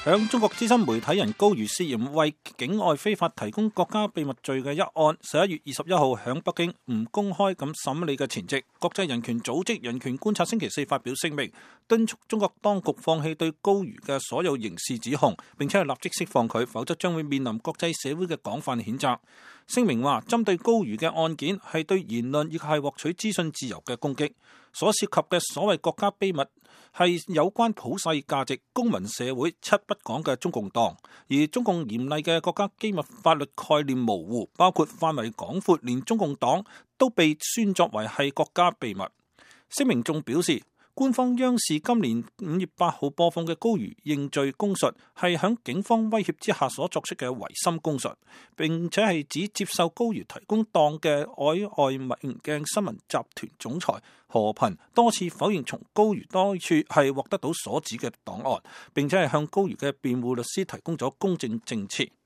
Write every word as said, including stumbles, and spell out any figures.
響中國資深媒體人高瑜涉嫌為境外非法提供國家秘密罪嘅一案，十一月二十一號響北京唔公開咁審理嘅前夕，國際人權組織人權觀察星期四發表聲明，敦促中國當局放棄對高瑜嘅所有刑事指控，並且係立即釋放佢，否則將會面臨國際社會嘅廣泛譴責。聲明話，針對高瑜嘅案件係對言論以及係獲取資訊自由嘅攻擊，所涉及嘅所謂國家秘密係有關普世價值、公民社會七不講嘅中共黨，而中共嚴厲嘅國家機密法律概念模糊，包括範圍廣闊，連中共黨都被宣作為係國家秘密。聲明仲表示，官方央視今年五月八號播放嘅高瑜認罪供述係響警方威脅之下所作出嘅違心供述，並且係指接受高瑜提供檔嘅海外明鏡新聞集團總裁何頻多次否認從高瑜多處係獲得到所指嘅檔案，並且係向高瑜嘅辯護律師提供咗公正證詞。